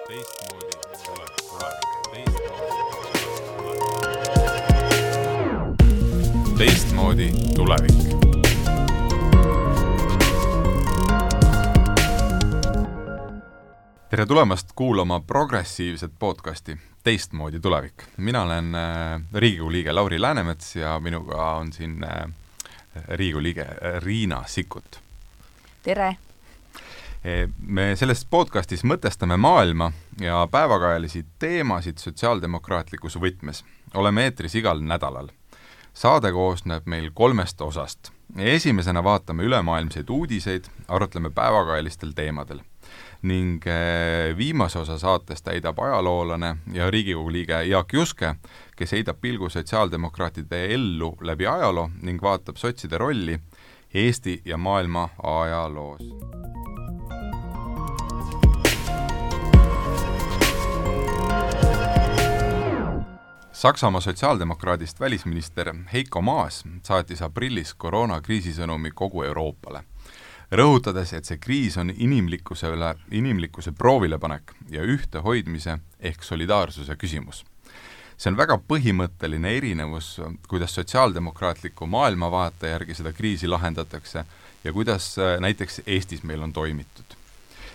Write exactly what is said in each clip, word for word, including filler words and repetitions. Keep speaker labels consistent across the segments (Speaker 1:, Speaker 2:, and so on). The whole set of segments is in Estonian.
Speaker 1: teistmoodi tulevik. Teistmoodi tulevik. Tere tulemast kuulama progressiivset podcasti Teistmoodi tulevik. Mina olen Riigikogu liige Lauri Läänemets ja minuga on siin Riigikogu liige Riina Sikkut.
Speaker 2: Tere!
Speaker 1: Me selles podcastis mõtestame maailma ja päevakajalisi teemasid sotsiaaldemokraatlikus võtmes. Oleme eetris igal nädalal. Saade koosneb meil kolmest osast. Esimesena vaatame ülemaailmseid uudiseid, arutleme päevakajalistel teemadel. Ning viimase osa saates täidab ajaloolane ja Riigikogu liige Jaak Juske, kes heidab pilgu sotsiaaldemokraatide ellu läbi ajaloo ning vaatab sotside rolli Eesti ja maailma ajaloos. Saksamaa sotsiaaldemokraadist välisminister Heiko Maas saatis aprillis koroonakriisisõnumi kogu Euroopale, rõhutades, et see kriis on inimlikkuse üle, inimlikkuse proovilepanek ja ühte hoidmise ehk solidaarsuse küsimus. See on väga põhimõtteline erinevus, kuidas sotsiaaldemokraatliku maailmavaate järgi seda kriisi lahendatakse ja kuidas näiteks Eestis meil on toimitud.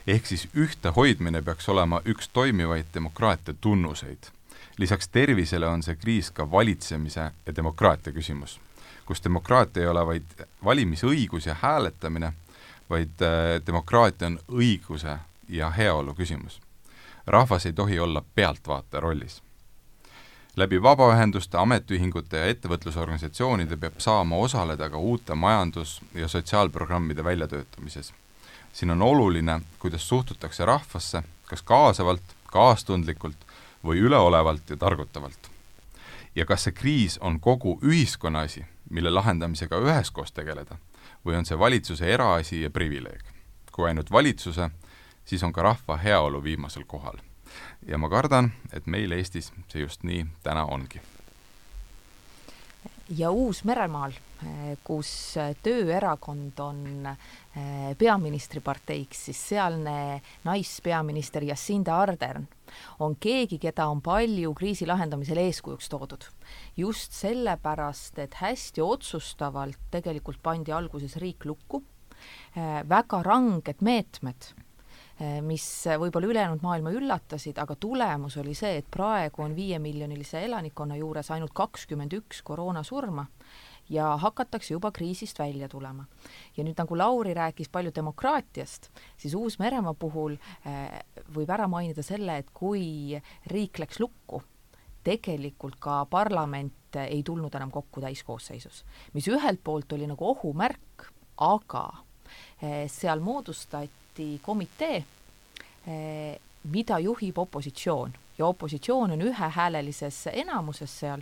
Speaker 1: Ehk siis ühte hoidmine peaks olema üks toimivaid demokraatia tunnuseid. Lisaks tervisele on see kriis ka valitsemise ja demokraatia küsimus, kus demokraatia ei ole vaid valimisõigus ja hääletamine, vaid demokraatia on õiguse ja heaolu küsimus. Rahvas ei tohi olla pealtvaate rollis. Läbi vabaühenduste, ametiühingute ja ettevõtlusorganisatsioonide peab saama osaleda ka uute majandus- ja sotsiaalprogrammide väljatöötamises. Siin on oluline, kuidas suhtutakse rahvasse, kas kaasavalt, kaastundlikult või üleolevalt ja targutavalt. Ja kas see kriis on kogu ühiskonna asi, mille lahendamisega üheskoos tegeleda, või on see valitsuse eraasi ja privileeg? Kui ainult valitsuse, siis on ka rahva heaolu viimasel kohal. Ja ma kardan, et meil Eestis see just nii täna ongi.
Speaker 2: Ja Uus-Meremaal, kus tööerakond on peaministriparteiks, siis sealne naispeaminister Jacinda Ardern on keegi, keda on palju kriisi lahendamisel eeskujuks toodud. Just sellepärast, et hästi otsustavalt tegelikult pandi alguses riik lukku, väga ranged meetmed, mis võib-olla ülejäänud maailma üllatasid, aga tulemus oli see, et praegu on viie miljonilise elanikkonna juures ainult kakskümmend üks koroonasurma ja hakatakse juba kriisist välja tulema. Ja nüüd nagu Lauri rääkis palju demokraatiast, siis Uus-Meremaa puhul võib ära mainida selle, et kui riik läks lukku, tegelikult ka parlament ei tulnud enam kokku täiskoosseisus, mis ühelt poolt oli nagu ohumärk, aga seal moodustati komitee, mida juhib opositsioon. Ja opositsioon on ühehäälelises enamuses seal,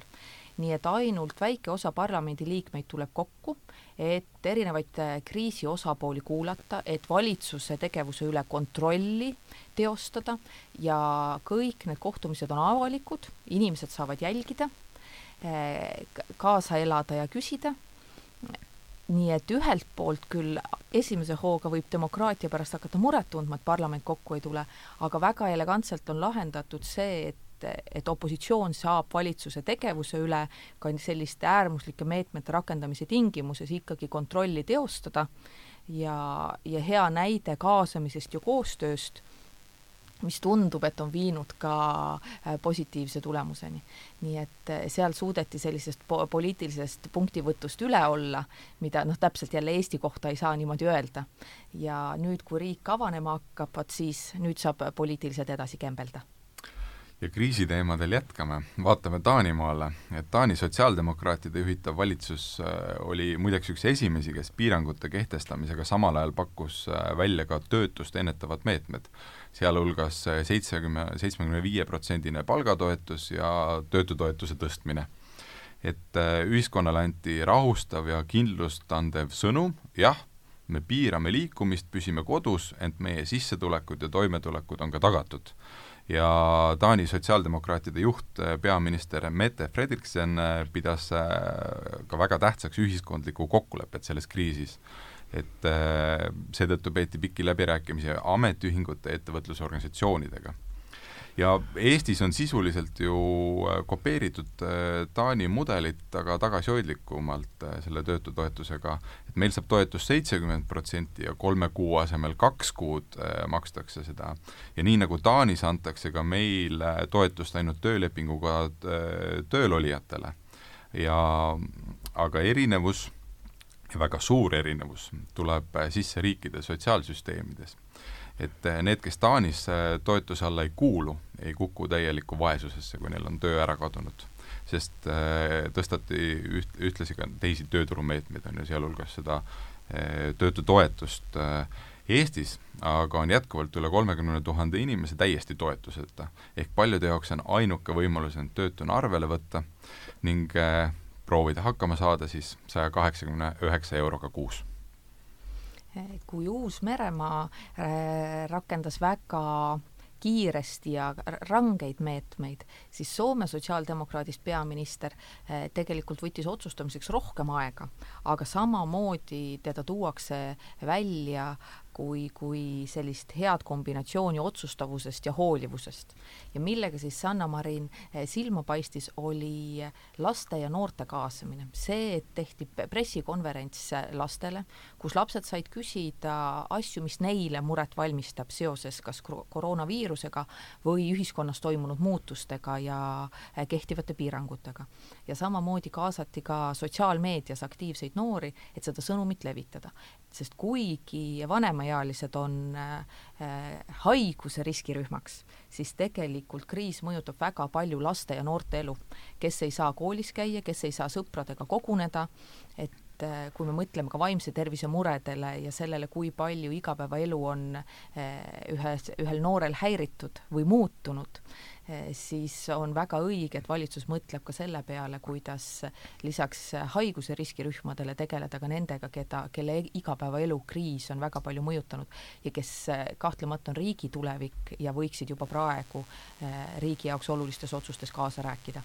Speaker 2: nii et ainult väike osa parlamendi liikmeid tuleb kokku, et erinevaid kriisi osapooli kuulata, et valitsuse tegevuse üle kontrolli teostada ja kõik need kohtumised on avalikud, inimesed saavad jälgida, kaasa elada ja küsida. Nii et ühelt poolt küll esimese hooga võib demokraatia pärast hakata muret tundma, et parlament kokku ei tule, aga väga elegantselt on lahendatud see, et, et opositsioon saab valitsuse tegevuse üle ka selliste äärmuslike meetmete rakendamise tingimuses ikkagi kontrolli teostada ja, ja hea näide kaasamisest ja koostööst, mis tundub, et on viinud ka positiivse tulemuseni. Nii et seal suudeti sellisest po- poliitilisest punktivõtust üle olla, mida noh, täpselt jälle Eesti kohta ei saa niimoodi öelda. Ja nüüd, kui riik avanema hakkab, siis nüüd saab poliitiliselt edasi kembelda.
Speaker 1: Ja kriisiteemadel jätkame. Vaatame Taanimaale, et Taani sotsiaaldemokraatide juhitav valitsus oli muideks üks esimesi, kes piirangute kehtestamisega samal ajal pakkus välja ka töötust ennetavad meetmed, sealhulgas seitsekümmend viis protsenti palgatoetus ja töötutoetuse tõstmine. Et ühiskonnale anti rahustav ja kindlust andev sõnum, jah, me piirame liikumist, püsime kodus, ent meie sissetulekud ja toimetulekud on ka tagatud. Ja Taani sotsiaaldemokraatide juht, peaminister Mette Frederiksen pidas ka väga tähtsaks ühiskondliku kokkulepet selles kriisis. et seetõttu peeti pikki läbirääkimisi ametiühingute ettevõtlusorganisatsioonidega. ja Eestis on sisuliselt ju kopeeritud Taani mudelit, aga tagasihoidlikumalt selle töötutoetusega, et meil saab toetus seitsekümmend protsenti ja kolme kuu asemel kaks kuud makstakse seda. Ja nii nagu Taanis antakse ka meil toetust ainult töölepinguga töölolijatele. Ja, aga erinevus, väga suur erinevus, tuleb sisse riikide sotsiaalsüsteemides. Et need, kes Taanis toetuse alla ei kuulu, ei kuku täielikku vaesusesse, kui neil on töö ära kadunud. Sest tõstati üht, ühtlasi ka teisi tööturumeetmeid, on ju sealhulgas seda töötutoetust Eestis, aga on jätkuvalt üle kolmekümne tuhande inimese täiesti toetuseta. Ehk paljude jaoks on ainuke võimalus end töötuna arvele võtta ning proovida hakkama saada siis saja kaheksakümne üheksa euroga kuus.
Speaker 2: Kui Uus-Meremaa rakendas väga kiiresti ja rangeid meetmeid, siis Soome sotsiaaldemokraadist peaminister tegelikult võttis otsustamiseks rohkem aega, aga samamoodi teda tuuakse välja kui, kui sellist head kombinatsiooni otsustavusest ja hoolivusest. Ja millega siis Sanna Marin silma paistis, oli laste ja noorte kaasamine. See, et tehti pressikonverents lastele, kus lapsed said küsida asju, mis neile muret valmistab seoses kas koroonaviirusega või ühiskonnas toimunud muutustega ja kehtivate piirangutega. Ja samamoodi kaasati ka sotsiaalmeedias aktiivseid noori, et seda sõnumit levitada. Sest kuigi vanemaealised on äh, haiguse riskirühmaks, siis tegelikult kriis mõjutab väga palju laste ja noorte elu, kes ei saa koolis käia, kes ei saa sõpradega koguneda, et kui me mõtleme ka vaimse tervise muredele ja sellele, kui palju igapäevaelu on ühe, ühel noorel häiritud või muutunud, siis on väga õige, et valitsus mõtleb ka selle peale, kuidas lisaks haiguse riskirühmadele tegeleda ka nendega, keda, kelle igapäevaelu kriis on väga palju mõjutanud ja kes kahtlemata on riigi tulevik ja võiksid juba praegu riigi jaoks olulistes otsustes kaasa rääkida.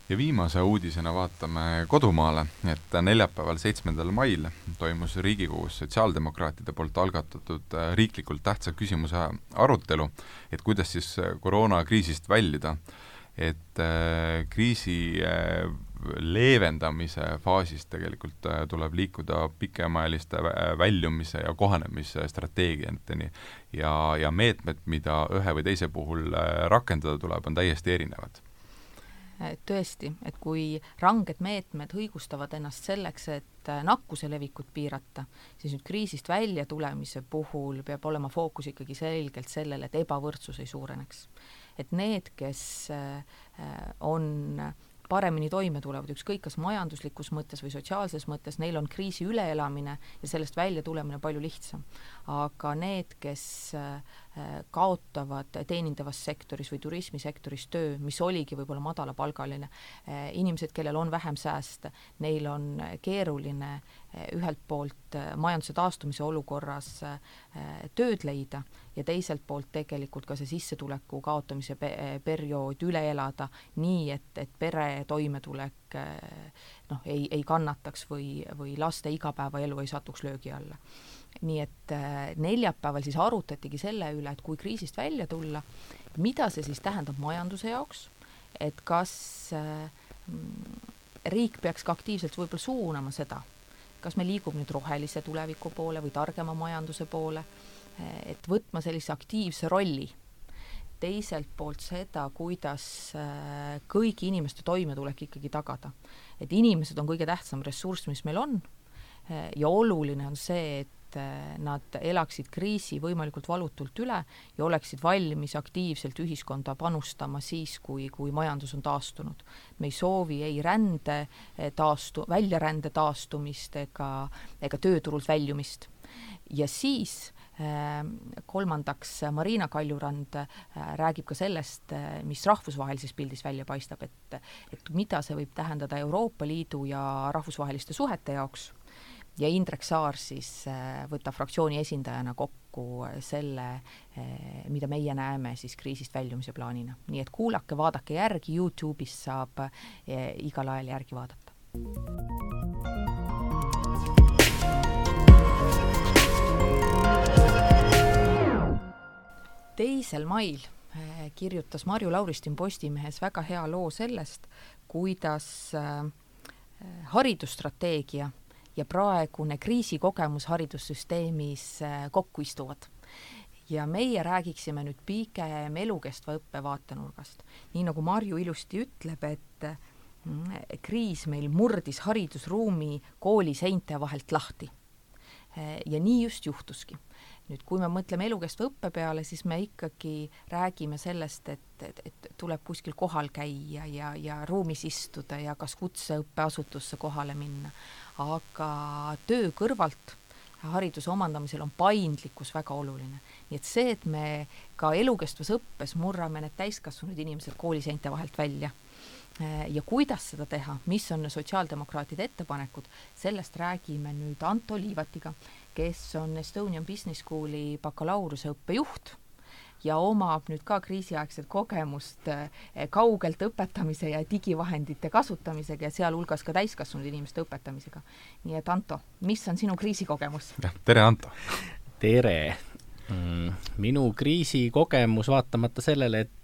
Speaker 1: Ja viimase uudisena vaatame kodumaale, et neljapäeval seitsmendal mail toimus Riigikogus sotsiaaldemokraatide poolt algatatud riiklikult tähtsa küsimuse arutelu, et kuidas siis koroonakriisist väljida, et kriisi leevendamise faasist tegelikult tuleb liikuda pikemaajaliste väljumise ja kohanemise strateegiateni ja, ja meetmed, mida ühe või teise puhul rakendada tuleb, on täiesti erinevad.
Speaker 2: Tõesti, et kui ranged meetmed õigustavad ennast selleks, et nakkuse levikut piirata, siis nüüd kriisist välja tulemise puhul peab olema fookus ikkagi selgelt sellele, et ebavõrdsus ei suureneks. Et need, kes on paremini toime tulevad, ükskõik kas majanduslikus mõttes või sotsiaalses mõttes, neil on kriisi üleelamine ja sellest välja tulemine palju lihtsam. Aga need, kes kaotavad teenindavas sektoris või turismisektoris töö, mis oligi võib-olla madalapalgaline, inimesed, kellel on vähem sääste, neil on keeruline ühelt poolt majanduse taastumise olukorras tööd leida ja teiselt poolt tegelikult ka see sissetuleku kaotamise periood üle elada nii, et, et pere toimetulek noh, ei, ei kannataks või, või laste igapäevaelu ei satuks löögi alla. Nii et neljapäeval siis arutatigi selle üle, et kui kriisist välja tulla, mida see siis tähendab majanduse jaoks, et kas riik peaks ka aktiivselt võib-olla suunama seda, kas me liigub nüüd rohelise tuleviku poole või targema majanduse poole, et võtma sellise aktiivse rolli. Teiselt poolt seda, kuidas kõigi inimeste toimetulek ikkagi tagada. Et inimesed on kõige tähtsam ressurss, mis meil on ja oluline on see, et nad elaksid kriisi võimalikult valutult üle ja oleksid valmis aktiivselt ühiskonda panustama siis, kui, kui majandus on taastunud. Me ei soovi ei rände taastu, väljarände taastumist ega, ega tööturult väljumist. Ja siis kolmandaks Marina Kaljurand räägib ka sellest, mis rahvusvahelises pildis välja paistab, et, et mida see võib tähendada Euroopa Liidu ja rahvusvaheliste suhete jaoks. Ja Indrek Saar siis võtab fraktsiooni esindajana kokku selle, mida meie näeme siis kriisist väljumise plaanina. Nii et kuulake, vaadake järgi, YouTube'is saab igal ajal järgi vaadata. Teisel mail kirjutas Marju Lauristin Postimehes väga hea loo sellest, kuidas haridusstrateegia ja praegune kriisikogemus haridussüsteemis kokku istuvad. Ja meie räägiksime nüüd pigem elukestva õppe vaatenurgast. Nii nagu Marju ilusti ütleb, et kriis meil murdis haridusruumi kooli seinte vahelt lahti. Ja nii just juhtuski. Nüüd, kui me mõtleme elukestva õppe peale, siis me ikkagi räägime sellest, et, et, et tuleb kuskil kohal käia ja, ja ruumis istuda ja kas kutseõppeasutusse kohale minna. Aga töö kõrvalt hariduse omandamisel on paindlikkus väga oluline. Nii et see, et me ka elukestvas õppes murrame need täiskasvanud inimesed kooliseinte vahelt välja ja kuidas seda teha, mis on sotsiaaldemokraatide ettepanekud, sellest räägime nüüd Anto Liivatiga, kes on Estonian Business Schooli bakalaureuse õppejuht ja omab nüüd ka kriisiaegset kogemust kaugelt õpetamise ja digivahendite kasutamisega ja sealhulgas ka täiskasvanud inimeste õpetamisega. Nii et Anto, mis on sinu kriisikogemus?
Speaker 1: Ja, tere Anto!
Speaker 3: Tere! Minu kriisikogemus vaatamata sellele, et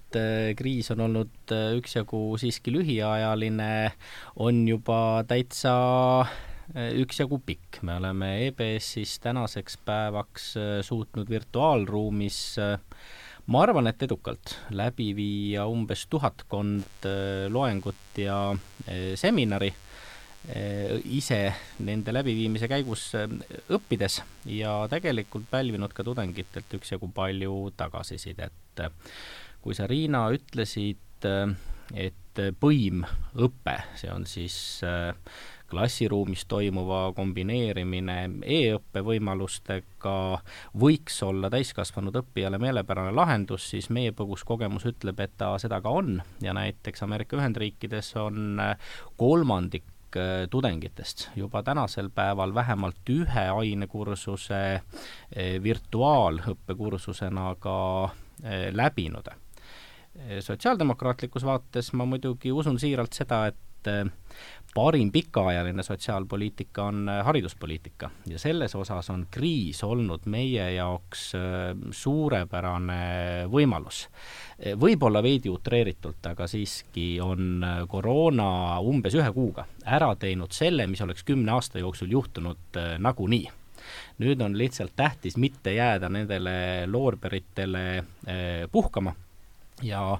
Speaker 3: kriis on olnud üksjagu siiski lühiajaline, on juba täitsa üksjagu pikk. Me oleme E B S-is tänaseks päevaks suutnud virtuaalruumis, ma arvan, et edukalt läbi viia umbes tuhatkond loengut ja seminari ise nende läbiviimise käigus õppides ja tegelikult pälvinud ka tudengitelt üksjagu palju tagasisidet. Kui sa, Riina, ütlesid, et põimõpe, see on siis klassiruumis toimuva kombineerimine e-õppe võimalustega, võiks olla täiskasvanud õppijale meelepärane lahendus, siis meie põgus kogemus ütleb, et ta seda ka on ja näiteks Ameerika Ühendriikides on kolmandik tudengitest juba tänasel päeval vähemalt ühe ainekursuse virtuaalõppekursusena ka läbinud. Sotsiaaldemokraatlikus vaates ma muidugi usun siiralt seda, et parim pikaajaline sotsiaalpoliitika on hariduspoliitika ja selles osas on kriis olnud meie jaoks suurepärane võimalus. Võib-olla veidi utreeritult, aga siiski on koroona umbes ühe kuuga ära teinud selle, mis oleks kümne aasta jooksul juhtunud nagunii. Nüüd on lihtsalt tähtis mitte jääda nendele loorberitele puhkama ja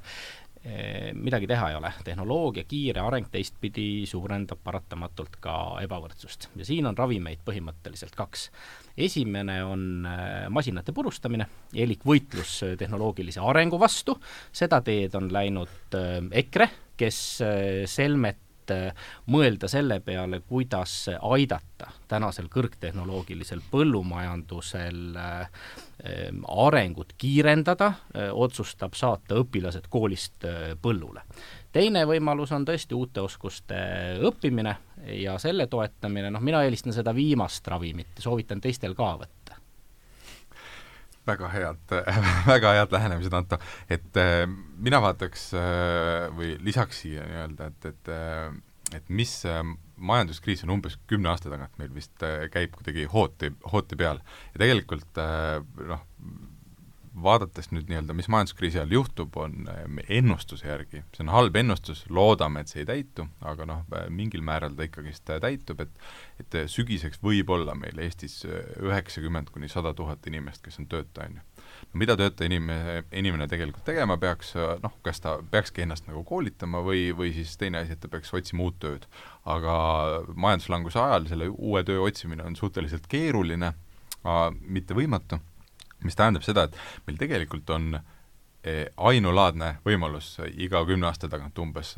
Speaker 3: midagi teha ei ole. Tehnoloogia kiire areng teistpidi suurendab paratamatult ka ebavõrdsust. Ja siin on ravimeid põhimõtteliselt kaks. Esimene on masinate purustamine, elik võitlus tehnoloogilise arengu vastu. Seda teed on läinud EKRE, kes selmet mõelda selle peale, kuidas aidata tänasel kõrgtehnoloogilisel põllumajandusel arengut kiirendada, otsustab saata õpilased koolist põllule. Teine võimalus on tõesti uute oskuste õppimine ja selle toetamine, noh, mina eelistan seda viimast ravimit ja soovitan teistel ka võtta.
Speaker 1: Väga head, väga head lähenemised, Anto. Et äh, mina vaataks äh, või lisaks siia nii-öelda, et, et, äh, et mis äh, majanduskriis on umbes kümne aasta tagant meil vist äh, käib kuidagi hooti, hooti peal. Ja tegelikult äh, noh, vaadates nüüd nii-öelda, mis majanduskriisi ajal juhtub, on ennustuse järgi. See on halb ennustus, loodame, et see ei täitu, aga noh, mingil määral ta ikkagist täitub, et, et sügiseks võib olla meil Eestis üheksakümmend kuni sada tuhat inimest, kes on tööta. No, mida tööta inimene, inimene tegelikult tegema peaks, noh, kas ta peakski ennast nagu koolitama või, või siis teine asi, et ta peaks otsima uut tööd. Aga majanduslanguse ajal selle uue töö otsimine on suhteliselt keeruline, mitte võimatu. Mis tähendab seda, et meil tegelikult on ainulaadne võimalus iga kümne aasta tagant umbes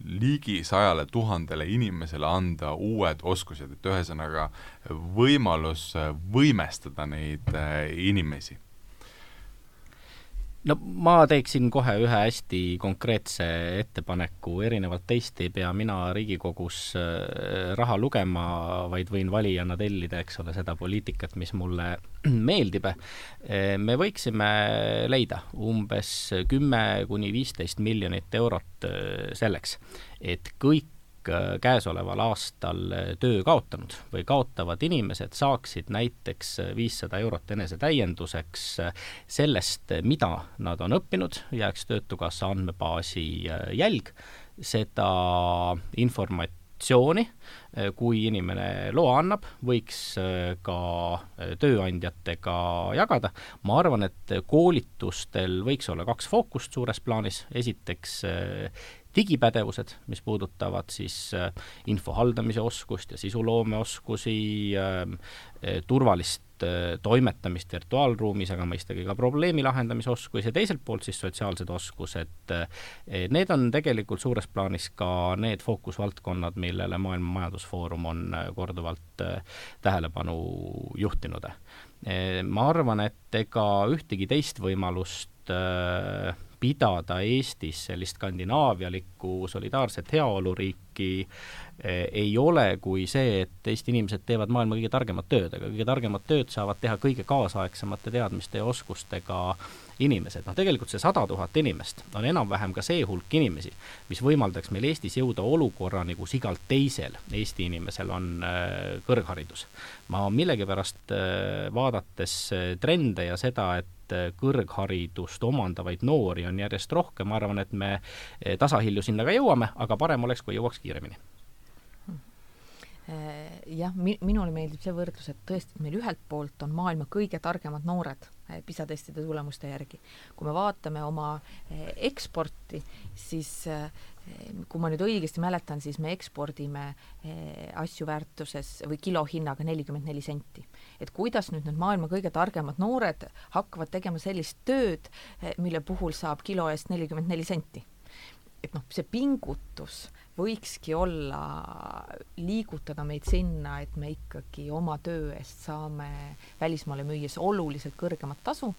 Speaker 1: ligi sajale tuhandele inimesele anda uued oskused, et ühesõnaga võimalus võimestada neid inimesi.
Speaker 3: No ma teeksin kohe ühe hästi konkreetse ettepaneku, erinevalt teist ei pea mina Riigikogus raha lugema, vaid võin valijana tellida, eks ole, seda poliitikat, mis mulle meeldib. Me võiksime leida umbes kümme kuni viisteist miljonit eurot selleks, et kõik käesoleval aastal töö kaotanud või kaotavad inimesed saaksid näiteks viissada eurot enesetäienduseks sellest, mida nad on õppinud, jääks Töötukassa andmebaasi jälg, seda informatsiooni, kui inimene loa annab, võiks ka tööandjatega jagada. Ma arvan, et koolitustel võiks olla kaks fookust suures plaanis. Esiteks digipädevused, mis puudutavad siis info haldamise oskust ja sisuloome oskusi, turvalist toimetamist virtuaalruumis, aga mõistagi ka probleemi lahendamise oskus ja teiselt poolt siis sotsiaalsed oskused. Need on tegelikult suures plaanis ka need fookusvaldkonnad, millele Maailma Majandusfoorum on korduvalt tähelepanu juhtinud. Ma arvan, et ega ühtegi teist võimalust pidada Eestis sellist skandinaavialikku solidaarset heaoluriiki ei ole kui see, et Eesti inimesed teevad maailma kõige targemat tööd, aga kõige targemat tööd saavad teha kõige kaasaegsemate teadmiste ja oskustega inimesed. No tegelikult see sada tuhat inimest on enam-vähem ka see hulk inimesi, mis võimaldaks meil Eestis jõuda olukorrani, kus igalt teisel Eesti inimesel on kõrgharidus. Ma millegipärast vaadates trende ja seda, et kõrgharidust omandavaid noori on järjest rohkem, ma arvan, et me tasahilju sinna ka jõuame, aga parem oleks, kui jõuaks kiiremini.
Speaker 2: Jah, minule meeldib see võrdlus, et tõesti meil ühelt poolt on maailma kõige targemad noored PISA testide tulemuste järgi. Kui me vaatame oma eksporti, siis kui ma nüüd õigesti mäletan, siis me ekspordime asju väärtuses või kilohinnaga nelikümmend neli senti. Et kuidas nüüd need maailma kõige targemad noored hakkavad tegema sellist tööd, mille puhul saab kilo eest nelikümmend neli senti. Et noh, see pingutus võikski olla liigutada meid sinna, et me ikkagi oma töö eest saame välismaale müües oluliselt kõrgemat tasu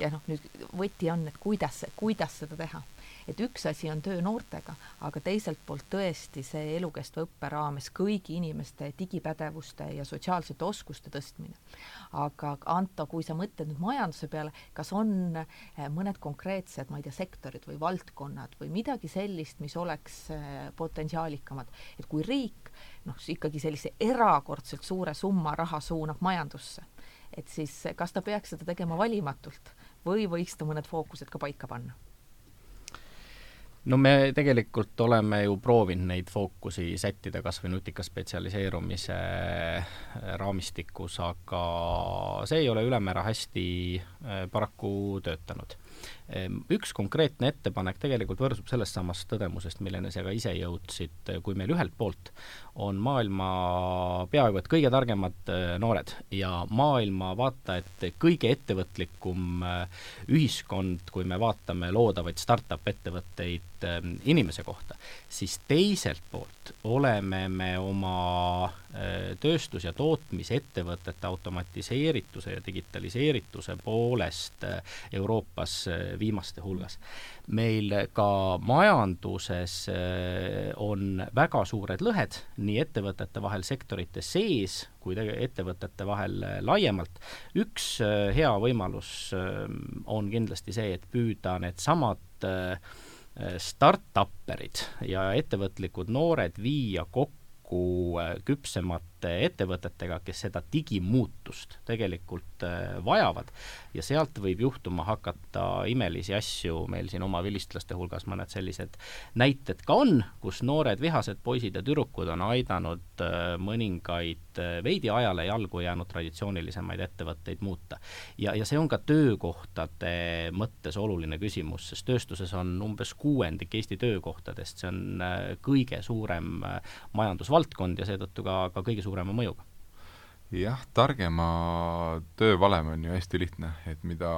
Speaker 2: ja noh, nüüd võti on, et kuidas, kuidas seda teha. Et üks asi on töö noortega, aga teiselt poolt tõesti see elukestva õppe raames kõigi inimeste digipädevuste ja sotsiaalsete oskuste tõstmine. Aga Anto, kui sa mõtled nüüd majanduse peale, kas on mõned konkreetsed, ma ei tea, sektorid või valdkonnad või midagi sellist, mis oleks potentsiaalikamad, et kui riik noh, ikkagi sellise erakordselt suure summa raha suunab majandusse, et siis kas ta peaks seda tegema valimatult või võiks ta mõned fookused ka paika panna?
Speaker 3: No me tegelikult oleme ju proovinud neid fookusi sättida kas või nutika spetsialiseerumise raamistikus, aga see ei ole ülemäära hästi paraku töötanud. Üks konkreetne ettepanek tegelikult võrsub sellest samast tõdemusest, milleni sa ka ise jõudsid, kui meil ühelt poolt on maailma peaaegu et kõige targemad noored ja maailma vaata, et kõige ettevõtlikum ühiskond, kui me vaatame loodavaid startup ettevõtteid inimese kohta, siis teiselt poolt oleme me oma tööstus- ja tootmisettevõtete automatiseerituse ja digitaliseerituse poolest Euroopas viimaste hulgas. Meil ka majanduses on väga suured lõhed nii ettevõtete vahel sektorite sees kui ettevõtete vahel laiemalt. Üks hea võimalus on kindlasti see, et püüda need samad start-upperid ja ettevõtlikud noored viia kokku küpsemate ettevõtetega, kes seda digimuutust tegelikult vajavad ja sealt võib juhtuma hakata imelisi asju. Meil siin oma vilistlaste hulgas mõned sellised näited ka on, kus noored vihased poisid ja tüdrukud on aidanud mõningaid veidi ajale jalgu jäänud traditsioonilisemaid ettevõtteid muuta. Ja, ja see on ka töökohtade mõttes oluline küsimus, sest tööstuses on umbes kuuendik Eesti töökohtadest, see on kõige suurem majandusvaldkond ja seetõttu ka, ka kõige suurema mõjuga.
Speaker 1: Jah, targema töövalem on ju hästi lihtne, et mida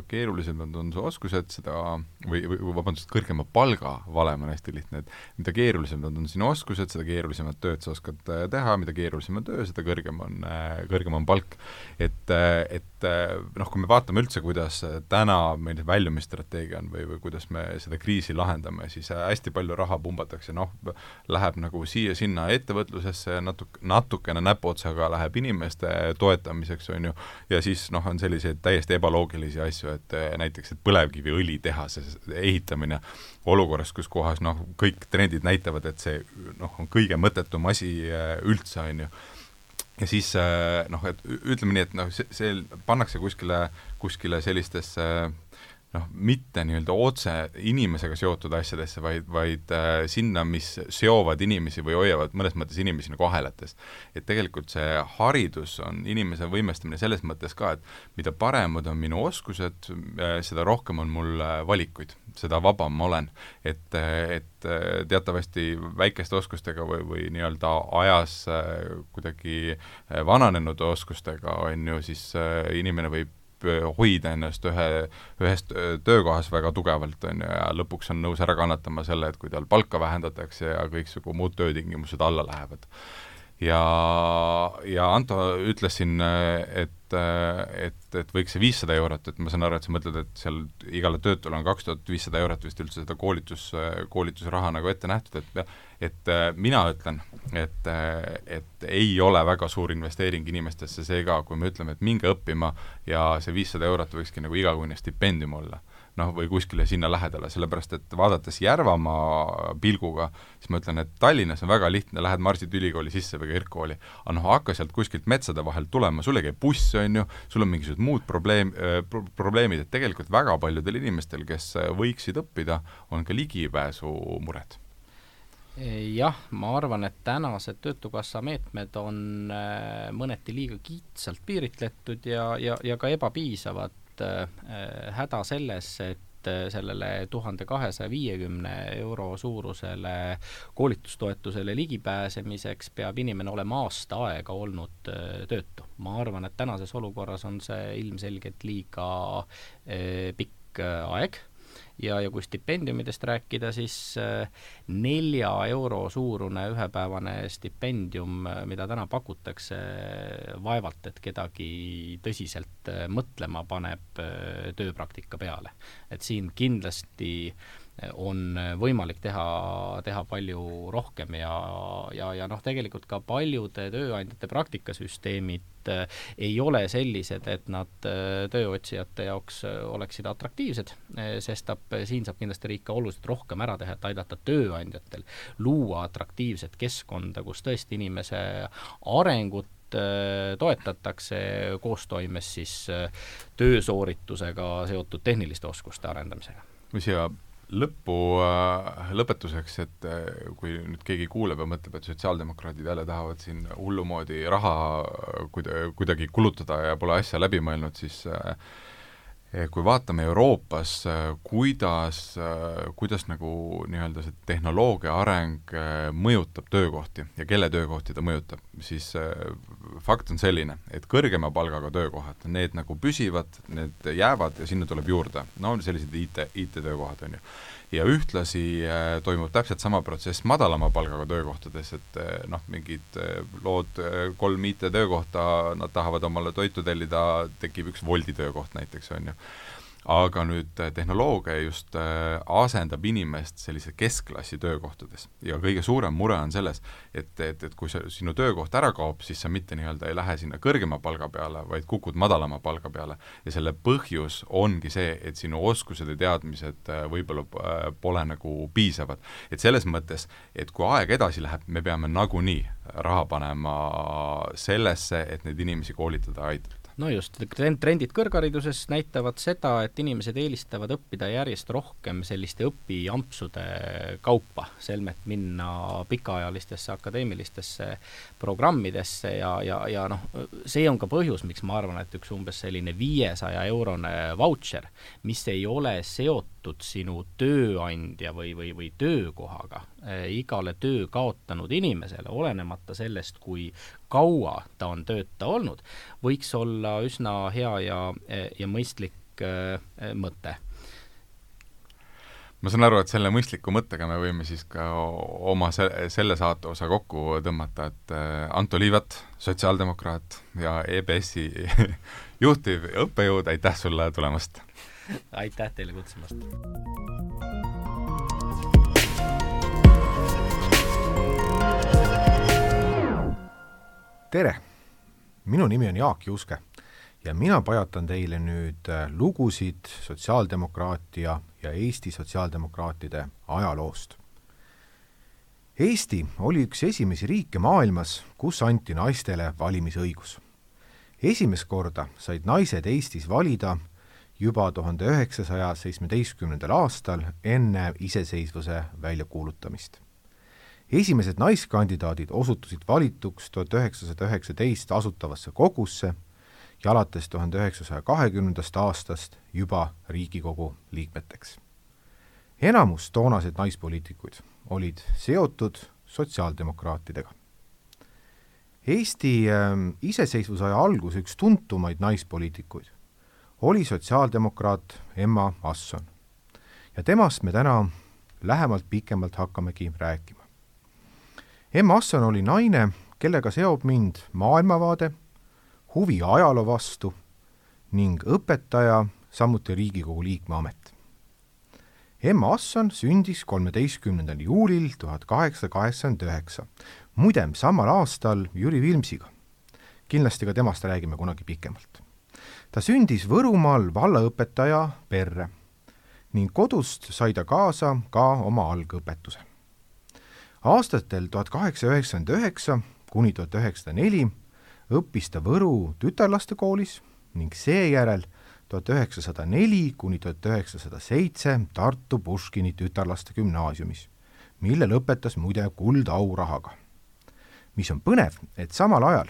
Speaker 1: keerulisemad on su oskused, seda, või, või vabandust, kõrgema palga valem on hästi lihtne, et mida keerulisemad on sinu oskused, seda keerulisemad tööd sa oskad teha, mida keerulisem on töö, seda kõrgem on, kõrgem on palk. Et, et noh, kui me vaatame üldse, kuidas täna meil väljumisstrateegia on või, või kuidas me seda kriisi lahendame, siis hästi palju raha pumbatakse, noh, läheb nagu siia-sinna ettevõtlusesse, natuke, natukene näpuotsaga läheb inimesele, inimeste toetamiseks, on ju, ja siis noh, on selliseid täiesti ebaloogilisi asju, et näiteks, et põlevkiviõli tehase ehitamine olukorras, kus kohas noh, kõik trendid näitavad, et see noh, on kõige mõttetum asi üldse, on ju. Ja siis noh, et ütleme nii, et noh, see, see pannakse kuskile, kuskile sellistesse noh, mitte nii-öelda otse inimesega seotud asjadesse, vaid, vaid äh, sinna, mis seovad inimesi või hoiavad mõnes mõttes inimesi nagu ahelates. Et tegelikult see haridus on inimese võimestamine selles mõttes ka, et mida paremad on minu oskused, äh, seda rohkem on mul valikuid, seda vabam ma olen. Et, et teatavasti väikeste oskustega või, või nii-öelda ajas äh, kuidagi vananenud oskustega on ju, siis äh, inimene võib hoida ennast ühe, ühest töökohas väga tugevalt on ju, ja lõpuks on nõus ära kannatama selle, et kui tal palka vähendatakse ja kõiksugu muud töötingimused alla lähevad. Ja, ja Anto ütles siin, et, et, et võiks see viissada eurot, et ma saan aru, et sa mõtled, et seal igale töötule on kaks tuhat viissada eurot vist üldse seda koolitus, koolitusraha nagu ette nähtud, et, et mina ütlen, et, et ei ole väga suur investeering inimestesse see ka, kui me ütleme, et minge õppima ja see viissada eurot võikski nagu igakuine stipendium olla. Noh, või kuskile sinna lähedale, sellepärast et vaadates Järvamaa pilguga, siis ma ütlen, et Tallinnas on väga lihtne, lähed Marsit ülikooli sisse või kõrgkooli, aga noh, hakka sealt kuskilt metsade vahel tulema, sulle käib buss, on ju, sul on mingisugused muud probleem, pro, probleemid, et tegelikult väga paljudel inimestel, kes võiksid õppida, on ka ligipääsu mured.
Speaker 3: Jah, ma arvan, et tänased Töötukassa meetmed on mõneti liiga kiitsalt piiritletud ja, ja, ja ka ebapiisavad. Häda selles, et sellele tuhande kahesaja viiekümne euro suurusele koolitustoetusele ligipääsemiseks peab inimene olema aasta aega olnud töötu. Ma arvan, et tänases olukorras on see ilmselgelt liiga pikk aeg. Ja, ja kui stipendiumidest rääkida, siis nelja euro suurune ühepäevane stipendium, mida täna pakutakse, vaevalt, et kedagi tõsiselt mõtlema paneb tööpraktika peale. Et siin kindlasti on võimalik teha, teha palju rohkem ja, ja, ja noh, tegelikult ka paljude tööandjate praktikasüsteemid ei ole sellised, et nad tööotsijate jaoks oleksid atraktiivsed, sest tab, siin saab kindlasti riik ka oluliselt rohkem ära teha, et aidata tööandjatel luua atraktiivset keskkonda, kus tõesti inimese arengut toetatakse koostoimes siis töösooritusega seotud tehniliste oskuste arendamisega.
Speaker 1: Või siia lõppu äh, lõpetuseks, et äh, kui nüüd keegi kuuleb ja mõtleb, et sotsiaaldemokraadid jälle tahavad siin hullumoodi raha kuida, kuidagi kulutada ja pole asja läbi mõelnud, siis äh, kui vaatame Euroopas, kuidas, kuidas nagu nii-öelda see tehnoloogia areng mõjutab töökohti ja kelle töökohti ta mõjutab, siis fakt on selline, et kõrgema palgaga töökohad, need nagu püsivad, need jäävad ja sinna tuleb juurde. No sellised I T, I T-töökohad on ju. Ja ühtlasi äh, toimub täpselt sama protsess madalama palgaga töökohtades, et äh, noh, mingid äh, lood äh, kolm I T-töökohta, nad tahavad omale toitu tellida, tekib üks Woldi töökoht näiteks, on ju. Aga nüüd tehnoloogia just äh, asendab inimest sellise keskklassi töökohtades ja kõige suurem mure on selles, et, et, et kui see, sinu töökoht ära kaob, siis sa mitte nii-öelda ei lähe sinna kõrgema palga peale, vaid kukud madalama palga peale ja selle põhjus ongi see, et sinu oskused ja teadmised äh, võib-olla äh, pole nagu piisavad. Et selles mõttes, et kui aeg edasi läheb, me peame nagunii raha panema sellesse, et neid inimesi koolitada ja aidata.
Speaker 3: No just, trendid kõrghariduses näitavad seda, et inimesed eelistavad õppida järjest rohkem selliste õpiampsude kaupa, selmet minna pikaajalistesse akadeemilistesse programmidesse ja, ja, ja noh, see on ka põhjus, miks ma arvan, et üks umbes selline viiesaja eurone vautšer, mis ei ole seotud sinu tööandja või, või, või töökohaga, igale töö kaotanud inimesele, olenemata sellest, kui kaua ta on tööta olnud, võiks olla üsna hea ja, ja mõistlik äh, mõte.
Speaker 1: Ma saan aru, et selle mõistliku mõttega me võime siis ka oma se selle saate osa kokku tõmmata, et Anto Liivat, sotsiaaldemokraat ja E B S-i juhtiv õppejõud, aitäh sulle tulemast!
Speaker 3: Aitäh teile kutsumast!
Speaker 1: Tere!
Speaker 4: Minu nimi on Jaak Juske ja mina pajatan teile nüüd lugusid sotsiaaldemokraatia ja Eesti sotsiaaldemokraatide ajaloost. Eesti oli üks esimesi riike maailmas, kus anti naistele valimisõigus. Esimest korda said naised Eestis valida juba tuhande üheksasaja seitsmeteistkümnendal aastal enne iseseisvuse väljakuulutamist. Esimesed naiskandidaadid osutusid valituks tuhat üheksasada üheksateist asutavasse kogusse ja alates tuhande üheksasaja kahekümnendast aastast juba Riigikogu liikmeteks. Enamus toonaseid naispoliitikuid olid seotud sotsiaaldemokraatidega. Eesti äh, iseseisvusaja algus üks tuntumaid naispoliitikuid oli sotsiaaldemokraat Emma Asson ja temast me täna lähemalt pikemalt hakkamegi rääkima. Emma Asson oli naine, kellega seob mind maailmavaade, huvi ajaloo vastu ning õpetaja, samuti Riigikogu liikme amet. Emma Asson sündis kolmeteistkümnendal juulil tuhat kaheksasada kaheksakümmend üheksa, muidem samal aastal Jüri Vilmsiga. Kindlasti ka temast räägime kunagi pikemalt. Ta sündis Võrumaal vallaõpetaja perre ning kodust sai ta kaasa ka oma algõpetuse. Aastatel tuhat kaheksasada üheksakümmend üheksa kuni tuhat üheksasada neli õppis ta Võru tütarlastekoolis ning seejärel tuhat üheksasada neli kuni tuhat üheksasada seitse Tartu Puškini tütarlaste gümnaasiumis, mille lõpetas muide kuldaurahaga. Mis on põnev, et samal ajal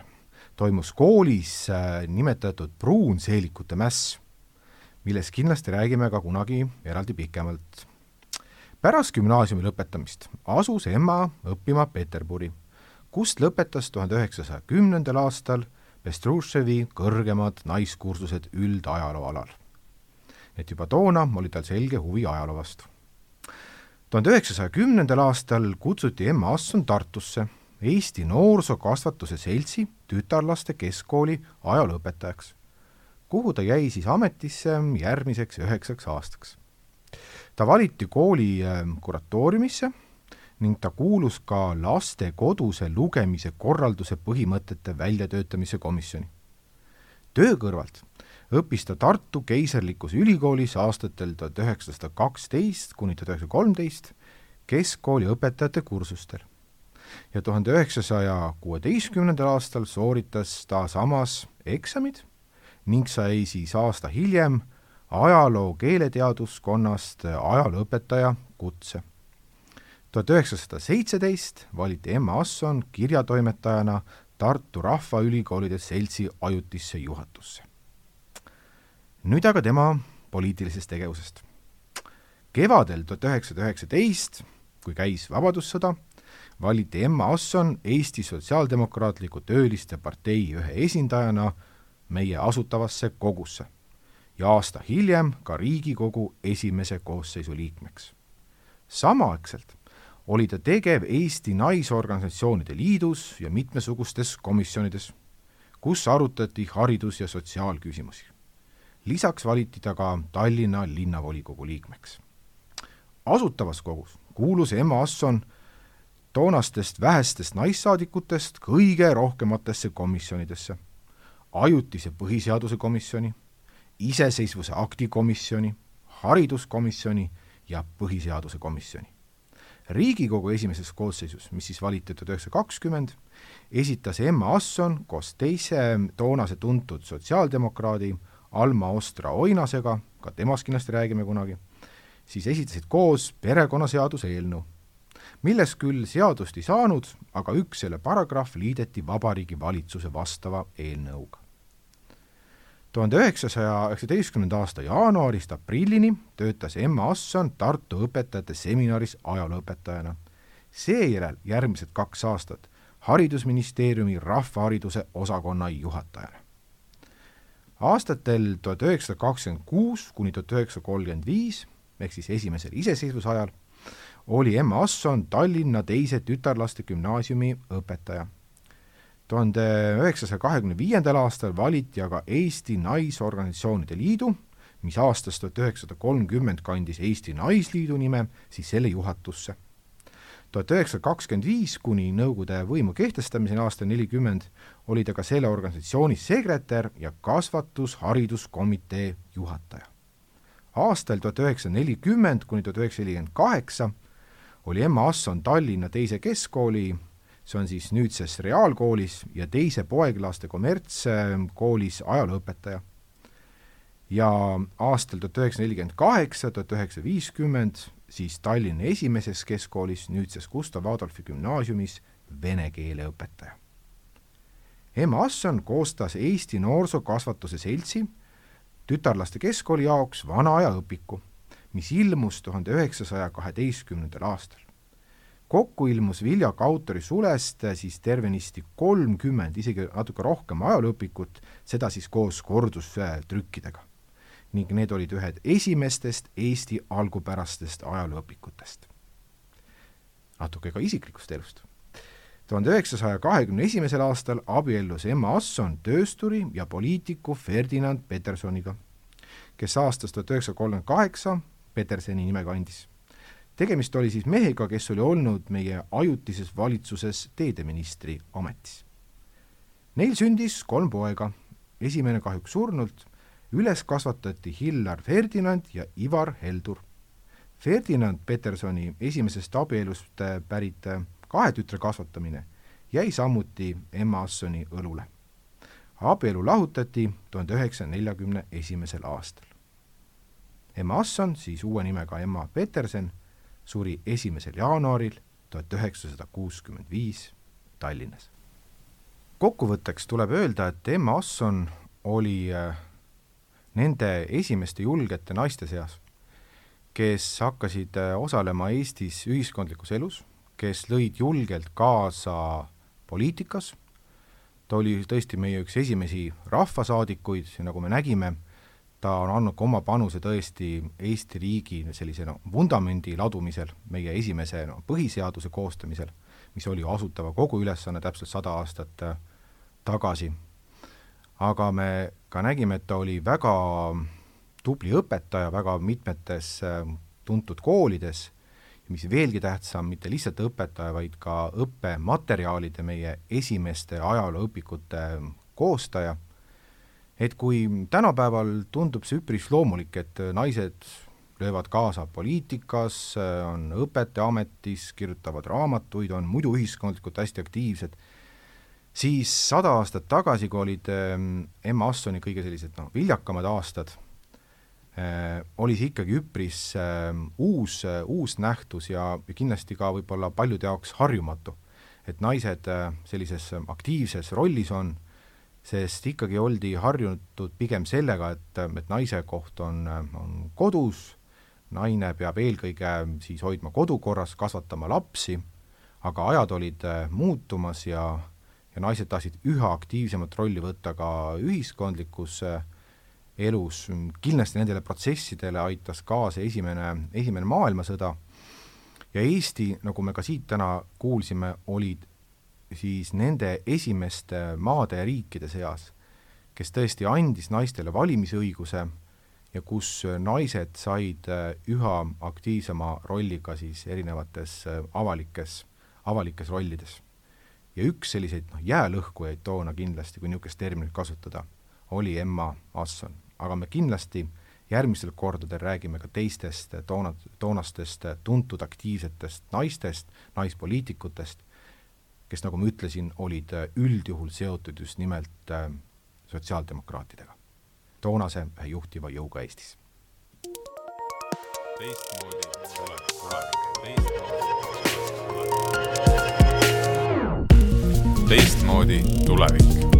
Speaker 4: toimus koolis nimetatud pruunseelikute mäss, millest kindlasti räägime ka kunagi eraldi pikemalt. Pärast gümnaasiumi lõpetamist asus Emma õppima Peterburi, kust lõpetas tuhande üheksasaja kümnendal aastal Bestrouševi kõrgemad naiskursused üldajaloo alal. Et juba toona oli tal selge huvi ajaloo vastu. tuhande üheksasaja kümnendal aastal kutsuti Emma Asson Tartusse Eesti Noorsookasvatuse Seltsi tütarlaste keskkooli ajalooõpetajaks, kuhu ta jäi siis ametisse järgmiseks üheksaks aastaks. Ta valiti kooli kuratooriumisse ning ta kuulus ka laste koduse lugemise korralduse põhimõtete väljatöötamise komisjoni. Töö kõrvalt õppis ta Tartu Keisarlikus ülikoolis aastatel tuhat üheksasada kaksteist kuni tuhat üheksasada kolmteist keskkooli õpetajate kursustel ja tuhande üheksasaja kuueteistkümnendal aastal sooritas ta samas eksamid ning sai siis aasta hiljem ajaloo keeleteaduskonnast ajalooõpetaja kutse. tuhat üheksasada seitseteist valiti Emma Asson kirjatoimetajana Tartu Rahvaülikoolide Seltsi ajutisse juhatusse. Nüüd aga tema poliitilisest tegevusest. Kevadel tuhat üheksasada üheksateist, kui käis Vabadussõda, valiti Emma Asson Eesti Sotsiaaldemokraatliku Tööliste partei ühe esindajana meie asutavasse kogusse ja aasta hiljem ka Riigikogu esimese koosseisu liikmeks. Samaaegselt oli ta tegev Eesti Naisorganisatsioonide Liidus ja mitmesugustes komisjonides, kus arutati haridus- ja sotsiaalküsimusi. Lisaks valiti ta ka Tallinna linnavolikogu liikmeks. Asutavas kogus kuulus Emma Asson toonastest vähestest naissaadikutest kõige rohkematesse komisjonidesse, ajutise põhiseaduse komisjoni, iseseisvuse akti komisjoni, hariduskomisjoni ja põhiseaduse komisjoni. Riigikogu esimeses koosseisus, mis siis valiti tuhat üheksasada kakskümmend, esitas Emma Asson koos teise toonase tuntud sotsiaaldemokraadi Alma Ostra Oinasega, ka temast kindlasti räägime kunagi, siis esitasid koos perekonnaseaduse eelnõu, milles küll seadust ei saanud, aga üks selle paragrahv liideti Vabariigi Valitsuse vastava eelnõuga. tuhande üheksasaja üheksateistkümnenda aasta jaanuarist aprillini töötas Emma Asson Tartu õpetajate seminaris ajalooõpetajana. Seejärel järgmised kaks aastat Haridusministeeriumi rahvahariduse osakonna juhatajana. Aastatel tuhat üheksasada kakskümmend kuus kuni tuhat üheksasada kolmkümmend viis, ehk siis esimesel iseseisvusajal, oli Emma Asson Tallinna teise tütarlaste gümnaasiumi õpetaja. tuhande üheksasaja kahekümne viiendal aastal valiti aga Eesti Naisorganisatsioonide Liidu, mis aastast tuhat üheksasada kolmkümmend kandis Eesti Naisliidu nime, siis selle juhatusse. tuhat üheksasada kakskümmend viis kuni Nõukogude võimu kehtestamiseni aastal nelikümmend oli ta ka selle organisatsiooni sekretär ja kasvatushariduskomitee juhataja. Aastal tuhat üheksasada nelikümmend kuni tuhat üheksasada nelikümmend kaheksa oli Emma Asson Tallinna teise keskkooli, see on siis nüüdses reaalkoolis, ja teise poeglaste kommertskoolis ajalooõpetaja. Ja aastal tuhat üheksasada nelikümmend kaheksa, tuhat üheksasada viiskümmend siis Tallinna esimeses keskkoolis, nüüdses Gustav Adolfi gümnaasiumis vene keele õpetaja. Emma Asson koostas Eesti Noorsookasvatuse Seltsi tütarlaste keskkooli jaoks vana aja õpiku, mis ilmus tuhande üheksasaja kaheteistkümnendal aastal. Kokku ilmus Viljaka autori sulest siis tervenisti kolmkümmend, isegi natuke rohkem ajalooõpikut, seda siis koos kordustrükkidega. Ning need olid ühed esimestest Eesti algupärastest ajalooõpikutest. Natuke ka isiklikust elust. tuhande üheksasaja kahekümne esimesel aastal abiellus Emma Asson töösturi ja poliitiku Ferdinand Petersoniga, kes aastast tuhat üheksasada kolmkümmend kaheksa Petersoni nime kandis. Tegemist oli siis mehega, kes oli olnud meie ajutises valitsuses teedeministri ametis. Neil sündis kolm poega, esimene kahjuks surnult, üles kasvatati Hillar Ferdinand ja Ivar Heldur. Ferdinand Petersoni esimesest abielust pärit kahe tütre kasvatamine jäi samuti Emma Assoni õlule. Abielu lahutati tuhande üheksasaja neljakümne esimesel aastal. Emma Asson, siis uue nimega Emma Petersen, suri esimesel jaanuaril tuhat üheksasada kuuskümmend viis Tallinnas. Kokkuvõtteks tuleb öelda, et Emma Asson oli nende esimeste julgete naiste seas, kes hakkasid osalema Eestis ühiskondlikus elus, kes lõid julgelt kaasa poliitikas. Ta oli tõesti meie üks esimesi rahvasaadikuid ja nagu me nägime, ta on andnud oma panuse tõesti Eesti riigi sellise no, vundamendi ladumisel, meie esimese no, põhiseaduse koostamisel, mis oli asutava kogu ülesanne täpselt sada aastat tagasi. Aga me ka nägime, et ta oli väga tubli õpetaja väga mitmetes tuntud koolides, mis veelgi tähtsam, mitte lihtsalt õpetaja, vaid ka õppematerjalide meie esimeste ajalooõpikute koostaja. Et kui tänapäeval tundub see üpris loomulik, et naised löövad kaasa poliitikas, on õpetajaametis, kirjutavad raamatuid, on muidu ühiskondlikult hästi aktiivsed, siis sada aastat tagasi, kui olid Emma Assoni kõige sellised no, viljakamad aastad, äh, oli see ikkagi üpris äh, uus, äh, uus nähtus ja kindlasti ka võib-olla paljude jaoks harjumatu, et naised äh, sellises aktiivses rollis on, sest ikkagi oldi harjunud pigem sellega, et, et naise koht on, on kodus, naine peab eelkõige siis hoidma kodukorras, kasvatama lapsi, aga ajad olid muutumas ja ja naised tahtsid üha aktiivsemat rolli võtta ka ühiskondlikus elus. Kindlasti nendele protsessidele aitas kaasa esimene, esimene maailmasõda ja Eesti, nagu me ka siit täna kuulsime, olid siis nende esimeste maade ja riikide seas, kes tõesti andis naistele valimisõiguse ja kus naised said üha aktiivsema rolliga siis erinevates avalikes, avalikes rollides. Ja üks selliseid no, jäälõhkujaid toona kindlasti, kui niisugust terminit kasutada, oli Emma Asson. Aga me kindlasti järgmisel kordadel räägime ka teistest toona, toonastest tuntud aktiivsetest naistest, naispoliitikutest, kes, nagu ma ütlesin, olid üldjuhul seotud just nimelt sotsiaaldemokraatidega. Toonase juhtiva jõuga Eestis. Teistmoodi tulevik,
Speaker 1: teistmoodi tulevik.